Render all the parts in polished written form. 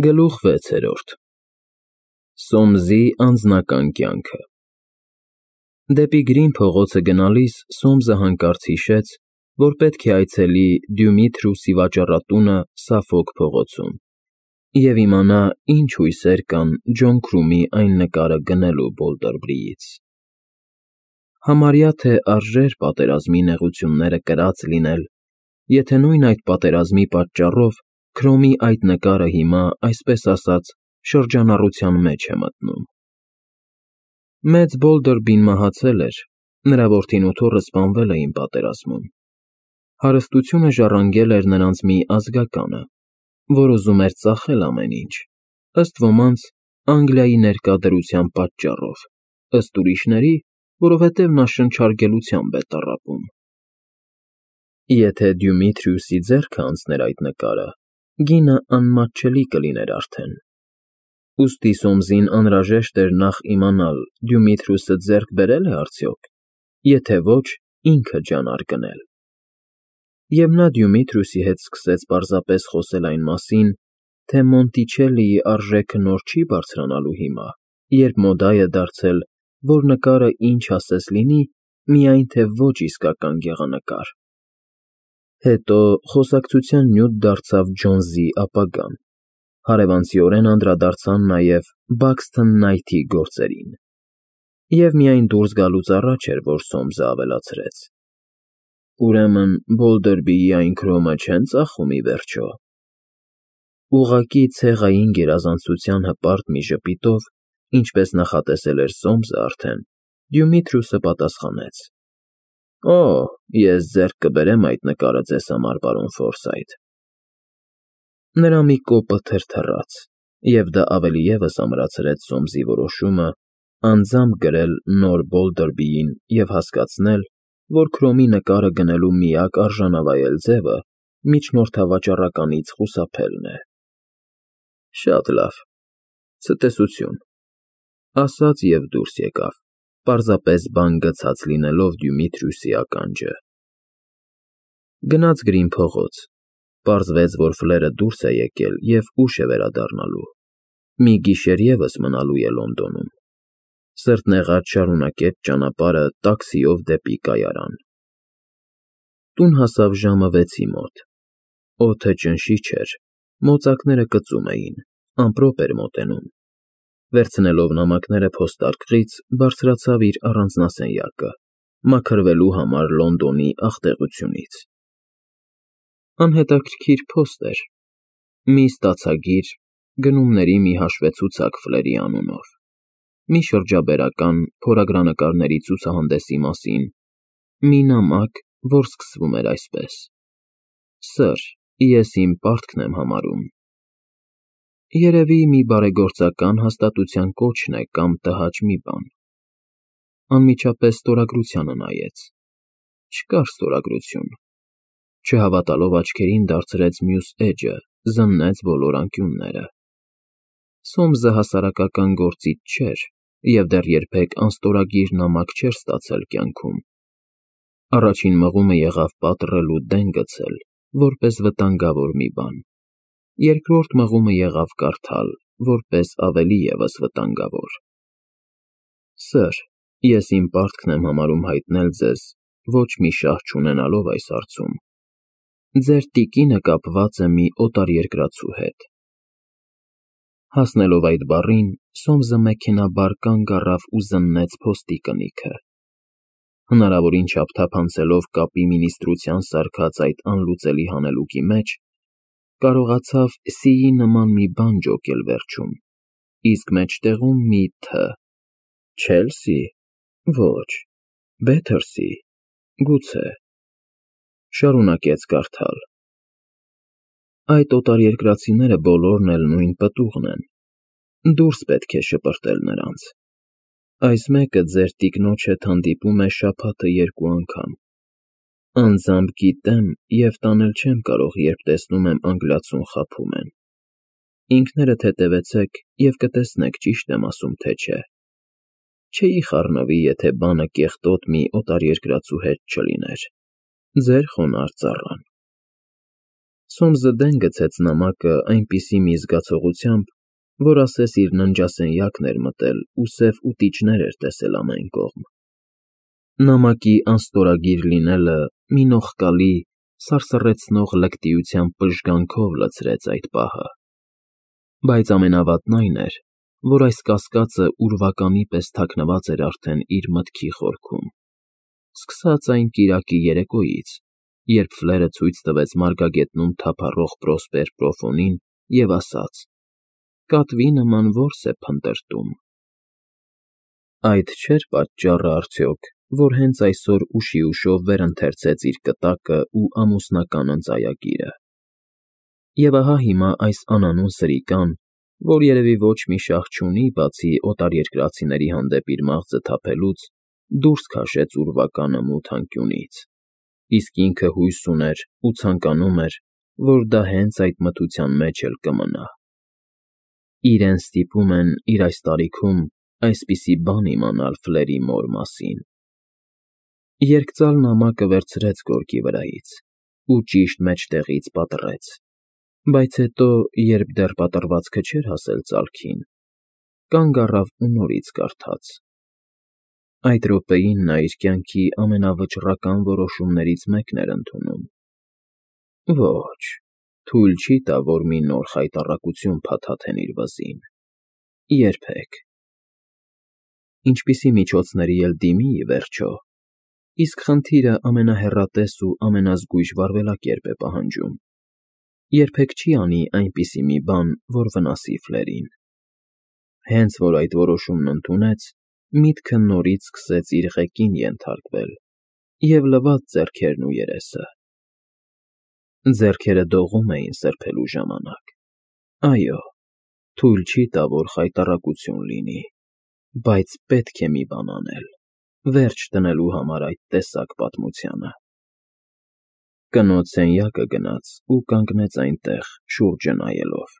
Գլուխ 6 Սոմզի անձնական կյանքը Դեպի Գրին փողոցը գնալիս Սոմզը հանկարծ հիշեց, որ պետք է այցելի Դյումիթրուսի վաճառատունը Սաֆոք փողոցում և իմանա ինչ հույսեր կան Ջոն Քրումի այն նկարը գնելու Բոլդերբրիից։ Համարյա թե արժեր պատերազմի նեղությունները կրած լինել, եթե նույն այդ պատերազմի պատճառով Քրոմի այդ նկարը հիմա, այսպես ասած, շրջանառության մեջ է մտնում։ Մեծ Բոլդերբին մահացել էր, նրա որդին ու թոռը սպանվել էին պատերազմում։ Հարստությունը ժառանգել էր նրանց մի ազգականը, որ ուզում էր ծախել ամեն ինչ, ըստ ոմանց Անգլիայի ներկա դրության պատճառով, ըստ ուրիշների, որովհետև նա շնչարգելությամբ է տառապում։ Եթե Դյումիթրիուսի ձեռքը անցներ այդ նկարը, գինը անմատչելի կլիներ արդեն։ Ուստի Սոմզին անհրաժեշտ էր նախ իմանալ Դյումիթրուսը ձեռք բերե՞լ է արդյոք, եթե ոչ, ինքը ջանար գնել։ Եվ նա Դյումիթրուսի հետ սկսեց պարզապես խոսել այն մասին, թե Մոնտիչելլիի արժեքը նոր չի բարձրանալու հիմա, երբ մոդա է դարձել, որ նկարը ինչ ասես լինի, միայն թե ոչ իսկական գեղանկար։ Հետո խոսակցության նյութ դարձավ Ջոնսի ապագան, հարևանցիորեն անդրադարձան նաև Բաքսթոն Նայթի գործերին։ Եվ միայն դուրս գալուց առաջ էր, որ Սոմսը ավելացրեց. Ուրեմն Բոլդերբիի այն Քրոմը չեն ծախում ի վերջո։ Ուղղակի ցեղային գերազանցության հպարտ մի ժպիտով, ինչպես նախատեսել էր Սոմսը արդեն, Դյումիթրուսը պատասխանեց. Օ, ես ձեռք կբերեմ այդ նկարը ձեզ համար, պարոն Ֆորսայթ։ Նրա մի կոպը թրթռաց, և դա ավելի ևս ամրացրեց Սոմսի որոշումը անձամբ գրել նոր Բոլդերբիին և հասկացնել, որ Քրոմի նկարը գնելու միակ արժանավայել ձևը միջնորդավաճառականից խուսափելն է։ Շատ լավ, ցտեսություն, ասաց և դուրս եկավ, պարզապես բան գցած լինելով Դյումիթրուսի ականջը։ Գնաց Գրին փողոց, պարզվեց, որ Ֆլերը դուրս է եկել և ուշ է վերադառնալու, մի գիշեր ևս մնալու է Լոնդոնում։ Սրտնեղած շարունակեց ճանապարհը տաքսիով դեպի կայարան։ Տուն հասավ ժամը 6-ի մոտ։ Օդը ճնշիչ էր, մոծակները կծում էին, ամպրոպ էր մոտենում։ Վերցնելով նամակները փոստարկղից, բարձրացավ իր առանձնասենյակը, մաքրվելու համար Լոնդոնի աղտեղությունից։ Անհետաքրքիր փոստ էր, մի ստացագիր, գնումների մի հաշվեցուցակ Ֆլերի անունով, մի շրջաբերական փորագրանկարների ցուցահանդեսի մասին, մի նամակ, որ սկսվում էր այսպես. Սըր, ես իմ պարտքն եմ համարում։ Երևի մի բարեգործական հաստատության կոչն է կամ տհաճ մի բան։ Անմիջապես ստորագրությանը նայեց։ Չկար ստորագրություն։ Չհավատալով աչքերին դարձրեց մյուս էջը, զննեց բոլոր անկյունները։ Սոմսը հասարակական գործիչ չէր և դեռ երբեք անստորագիր նամակ չէր ստացել կյանքում։ Առաջին մղումը եղավ պատռել ու դեն գցել, որպես վտանգավոր մի բան։ Երկրորդ մղումը եղավ կարդալ, որպես ավելի ևս վտանգավոր. Սըր, ես իմ պարտքն եմ համարում հայտնել ձեզ, ոչ մի շահ չունենալով այս հարցում, ձեր տիկինը կապված է մի օտարերկրացու հետ։ Հասնելով այդ բառին, Սոմսը մեքենայաբար կանգ առավ ու զննեց փոստի կնիքը։ Հնարավորին չափ թափանցելով կապի մինիստրության սարքած այդ անլուծելի հանելուկի մեջ, կարողացավ «սի»֊ի նման մի բան ջոկել վերջում, իսկ մեջտեղում մի «թ»։ Չելսի՞, ոչ, Բեթերսի, գուցե։ Շարունակեց կարդալ. Այդ օտարերկրացիները բոլորն էլ նույն պտուղն են, դուրս պետք է շպրտել նրանց։ Այս մեկը ձեր տիկնոջ հետ հանդիպում է շաբաթը 2 անգամ։ Անձամբ գիտեմ և տանել չեմ կարող, երբ տեսնում եմ անգլիացուն խաբում են։ Ինքներդ հետևեցեք և կտեսնեք ճիշտ եմ ասում, թե չէ։ Չէի խառնվի, եթե բանը կեղտոտ մի օտարերկրացու հետ չլիներ։ Ձեր խոնարհ ծառան։ Սոմսը դեն գցեց նամակը այնպիսի մի զգացողությամբ, որ ասես իր ննջասենյակն էր մտել ու սև ուտիչներ էր տեսել ամեն կողմ։ Նամակի անստորագիր լինելը մի նողկալի, սարսռեցնող լկտիության պժգանքով լցրեց այդ պահը։ Բայց ամենավատն այն էր, որ այս կասկածը ուրվականի պես թաքնված էր արդեն իր մտքի խորքում, սկսած այն կիրակի երեկոյից, երբ Ֆլերը ցույց տվեց մարգագետնում թափառող Պրոսպեր Պրոֆոնին և ասաց. «Կատվի նման որս է փնտրտում»։ Այդ չէր պատճառը արդյոք, որ հենց այսօր ուշիուշով վերընթերցեց իր կտակը ու ամուսնական ընծայագիրը։ Եվ ահա հիմա այս անանուն սրիկան, որ երևի ոչ մի շահ չունի, բացի օտարերկրացիների հանդեպ իր մաղձը թափելուց, դուրս քաշեց ուրվականը մութ անկյունից, իսկ ինքը հույս ուներ ու ցանկանում էր, որ դա հենց այդ մթության մեջ էլ կմնա։ Իրեն ստիպում են իր այս տարիքում այսպիսի բան իմանալ Ֆլերի մոր մասին։ Երկծալ նամակը վերցրեց գորգի վրայից ու ճիշտ մեջտեղից պատռեց, բայց հետո, երբ դեռ պատռվածքը չէր հասել ծալքին, կանգ առավ ու նորից կարդաց։ Այդ րոպեին նա իր կյանքի ամենավճռական որոշումներից մեկն էր ընդունում։ Ոչ, թույլ չի տա, որ մի նոր խայտառակություն փաթաթեն իր վզին։ Երբեք։ Ինչպիսի միջոցների էլ դիմի, ի վերջո, իսկ խնդիրը ամենահեռատես ու ամենազգույշ վարվելակերպ է պահանջում։ Երբեք չի անի այնպիսի մի բան, որ վնասի Ֆլերին։ Հենց որ այդ որոշումն ընդունեց, միտքը նորից սկսեց իր ղեկին ենթարկվել և լվաց ձեռքերն ու երեսը։ Ձեռքերը դողում էին սրբելու ժամանակ։ Այո, թույլ չի տա, որ խայտառակություն լինի, բայց պետք է մի բան անել, վերջ դնելու համար այդ տեսակ պատմությանը։ Կնոջ սենյակը գնաց ու կանգնեց այնտեղ, շուրջը նայելով։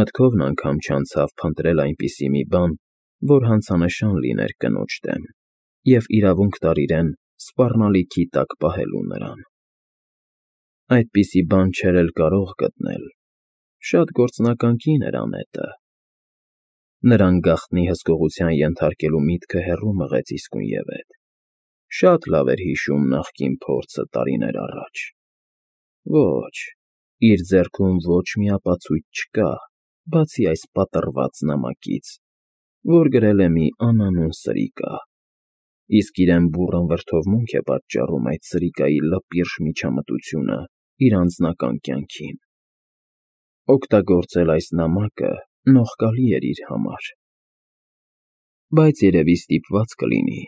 Մտքով անգամ չանցավ փնտրել այնպիսի մի բան, որ հանցանշան լիներ կնոջ դեմ և իրավունք տար իրեն սպառնալիքի տակ պահելու նրան։ Այդպիսի բան չէր էլ կարող գտնել։ Շատ գործնական կին էր Անետը։ Նրան գաղտնի հսկողության ենթարկելու միտքը հեռու մղեց իսկույնևեթ։ Շատ լավ էր հիշում նախկին փորձը տարիներ առաջ։ Ոչ, իր ձեռքում ոչ մի ապացույց չկա, բացի այս պատռված նամակից, որ գրել է մի անանուն սրիկա, իսկ իրեն բուռն վրդովմունք է պատճառում այդ սրիկայի լպիրշ միջամտությունը իր անձնական կյանքին։ Օգտագործել այս նամակը նողկալի էր իր համար։ Բայց երևի ստիպված կլինի։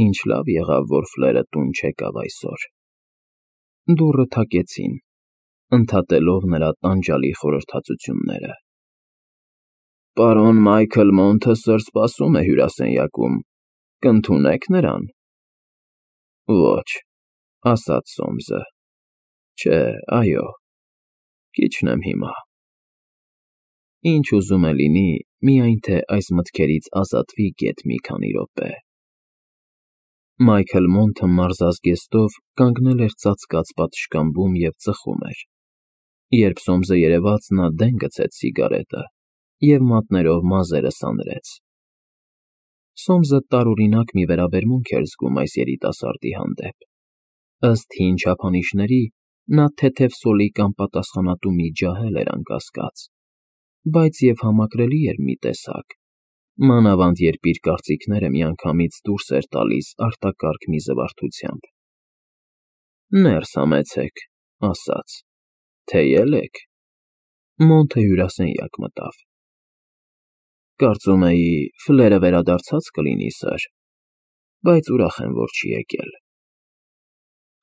Ինչ լավ եղավ, որ Ֆլերը տուն չեկավ այսօր։ Դուռը թակեցին, ընդհատելով նրա տանջալի խորհրդածությունները։ Պարոն Մայքլ Մոնթը սըր սպասում է հյուրասենյակում, կընդունե՞ք նրան։ Ոչ, ասաց Սոմսը։ Չէ, այո, քիչն եմ հիմա։ Ինչ ուզում է լինի, միայն թե այս մտքերից ազատվի գեթ մի քանի րոպե։ Մայքլ Մոնթը մարզազգեստով կանգնել էր ծածկած պատշգամբում և ծխում էր։ Երբ Սոմսը երևաց, նա դեն գցեց սիգարետը և մատներով մազերը սանրեց։ Սոմսը տարօրինակ մի վերաբերմունք էր զգում այս երիտասարդի հանդեպ։ Ըստ հին չափանիշների, նա թեթև սոլիկ անպատասխանատու մի ջահել էր անկասկած, բայց և համակրելի էր մի տեսակ, մանավանդ երբ իր կարծիքները միանգամից դուրս էր տալիս արտակարգ մի զվարթությամբ։ Ներս համեցեք, ասաց, թեյել եք։ Մոնթը հյուրասենյակ մտավ։ Կարծում էի, Ֆլերը վերադարձած կլինի, սըր, բայց ուրախ եմ, որ չի եկել։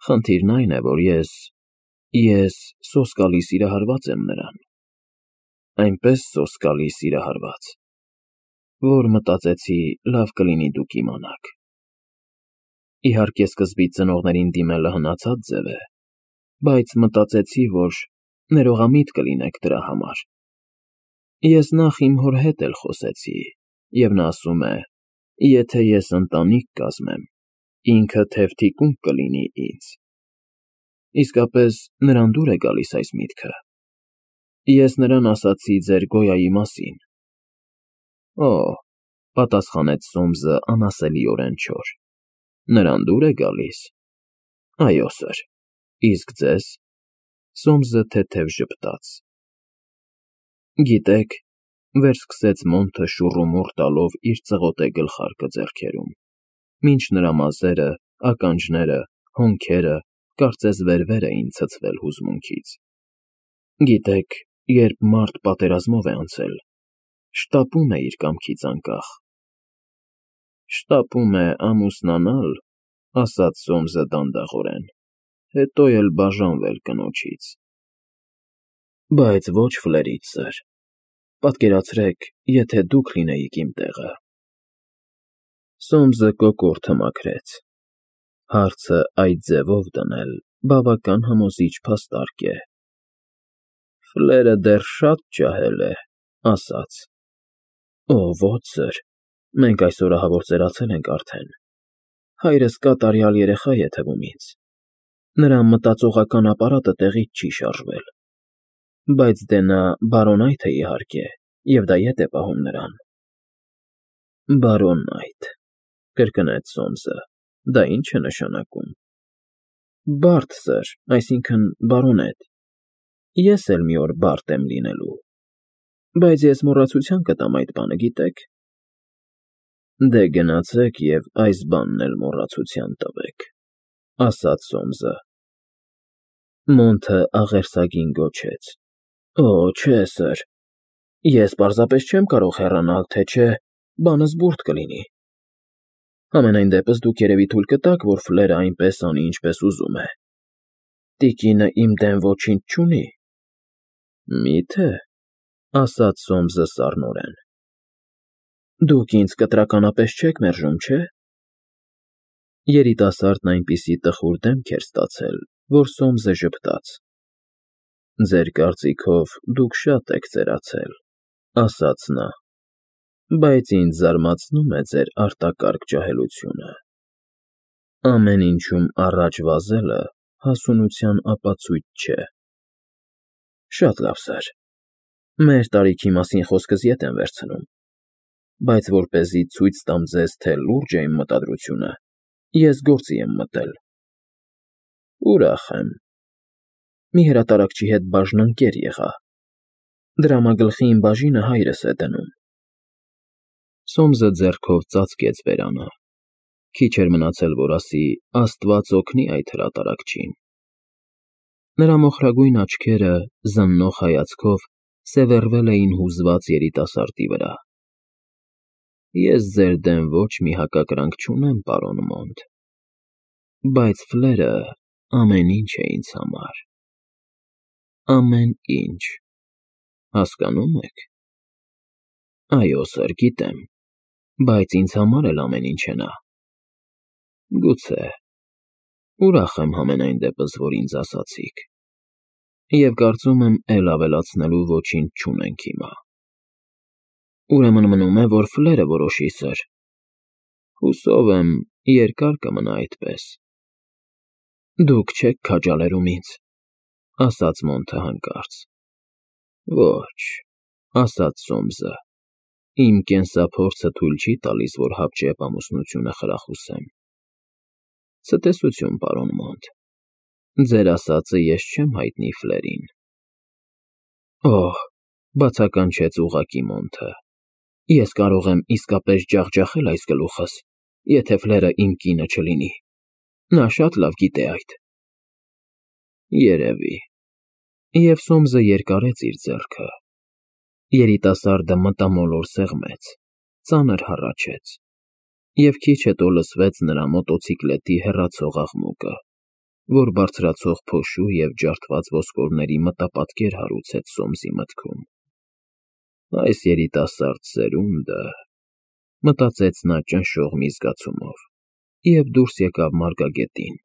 Խնդիրն այն է, որ ես սոսկալի սիրահարված եմ նրան։ Այնպես սոսկալի սիրահարված, որ մտածեցի լավ կլինի դուք իմանաք։ Իհարկե, սկզբից ծնողներին դիմելը հնացած ձև է, բայց մտածեցի, որ ներողամիտ կլինեք դրա համար։ Ես նախ իմ հոր հետ էլ խոսեցի, և նա ասում է, եթե ես ընտանիք կազմեմ, ինքը թև թիկունք կլինի ինձ։ Իսկապես նրան դուր է գալիս այս միտքը։ Ես նրան ասացի ձեր Գոյայի մասին։ Օ, պատասխանեց Սոմսը անասելիորեն չոր։ Նրան դուր է գալիս։ Այո, սըր։ Իսկ ձեզ։ Սոմսը թեթև ժպտաց։ Գիտեք, վերսկսեց Մոնթը շուռումուռ տալով իր ծղոտե գլխարկը ձեռքերում, մինչ նրա մազերը, ականջները, հոնքերը կարծես վեր էին ցցվել հուզմունքից։ Գիտեք, երբ մարդ պատերազմով է անցել, շտապում է իր կամքից անկախ։ Շտապում է ամուսնանալ, ասաց Սոմսը դանդաղորեն, հետո էլ բաժանվել կնոջից։ Բայց ոչ Ֆլերից, սըր։ Պատկերացրեք, եթե դուք լինեիք իմ տեղը։ Սոմսը կոկորդը մաքրեց։ Հարցը այդ ձևով դնել բավական համոզիչ փաստարկ է։ Ֆլերը դեռ շատ ջահել է, ասաց. Օ, ոչ, սըր, մենք այսօր ահավոր ծերացել ենք արդեն։ Հայրս կատարյալ երեխա է թվում ինձ։ Նրա մտածողական ապարատը տեղից չի շարժվել։ Բայց դե նա բարոնայթ է իհարկե, և դա ետ է պահում նրան։ Բարոնայթ, կրկնեց Սոմսը, դա ի՞նչ է նշանակում։ Բարդ, սըր, այսինքն բարոնետ։ Ես էլ մի օր բարդ եմ լինելու։ Բայց ես մոռացության կտամ այդ բանը, գիտեք։ Դե գնացեք և այս բանն էլ մոռացության տվեք, ասաց Սոմսը։ Մոնթը աղերսագին գոչեց. Օ, չէ, սըր, ես պարզապես չեմ կարող հեռանալ, թե չէ, բանս բուրդ կլինի։ Համենայն դեպս դուք երևի թույլ կտաք, որ Ֆլերը այնպես անի, ինչպես ուզում է։ Տիկինը իմ դեմ ոչինչ չունի։ Մի՞թե, ասաց Սոմսը սառնորեն։ Դուք ինձ կտրականապես չեք մերժում, չէ՞։ Երիտասարդն այնպիսի տխուր դեմք էր ստացել, որ Սոմսը ժպտաց։ Ձեր կարծիքով դուք շատ եք ծերացել, ասաց նա, բայց ինձ զարմացնում է ձեր արտակարգ ջահելությունը։ Ամեն ինչում առաջ վազելը հասունության ապացույց չէ։ Շատ լավ, սըր, մեր տարիքի մասին խոսքս ետ եմ վերցնում, բայց որպեսզի ցույց տամ ձեզ, թե լուրջ է իմ մտադրությունը, ես գործի եմ մտել։ Ուրախ եմ։ Մի հրատարակչի հետ բաժնընկեր եղա։ Դրամագլխի իմ բաժինը հայրս է դնում։ Սոմսը ձեռքով ծածկեց բերանը։ Քիչ էր մնացել, որ ասի. Աստված օգնի այդ հրատարակչին։ Նրա մոխրագույն աչքերը զննող հայացքով սևեռվել էին հուզված երիտասարդի վրա։ Ես ձեր դեմ ոչ մի հակակրանք չունեմ, պարոն Մոնթ, բայց Ֆլերը ամեն ինչ է ինձ համար։ Ամեն ինչ, հասկանո՞ւմ եք։ Այո, սըր, գիտեմ, բայց ինձ համար էլ ամեն ինչ է նա։ Գուցե, ուրախ եմ համենայն դեպս, որ ինձ ասացիք, և կարծում եմ էլ ավելացնելու ոչինչ չունենք հիմա։ Ուրեմն մնում է, որ Ֆլերը որոշի, սըր։ Հուսով եմ, երկար կմնա այդպես։ Դուք չեք քաջալերում ինձ, ասաց Մոնթը հանկարծ։ Ոչ, ասաց Սոմսը, իմ կենսափորձը թույլ չի տալիս, որ հապճեպ ամուսնությունը խրախուսեմ։ Ցտեսություն, պարոն Մոնթ, ձեր ասածը ես չեմ հայտնի Ֆլերին։ Օհ, բացականչեց ուղղակի Մոնթը, ես կարող եմ իսկապես ջախջախել այս գլուխս, եթե Ֆլերը իմ կինը չլինի։ Նա շատ լավ գիտե այդ։ Երևի։ Եվ Սոմսը երկարեց իր ձեռքը։ Երիտասարդը մտամոլոր սեղմեց, ծանր հառաչեց, և քիչ հետո լսվեց նրա մոտոցիկլետի հեռացող աղմուկը, որ բարձրացող փոշու և ջարդված ոսկորների մտապատկեր հարուցեց Սոմսի մտքում։ Այս երիտասարդ սերունդը, մտածեց նա ճնշող մի զգացումով, և դուրս եկավ մարգագետին։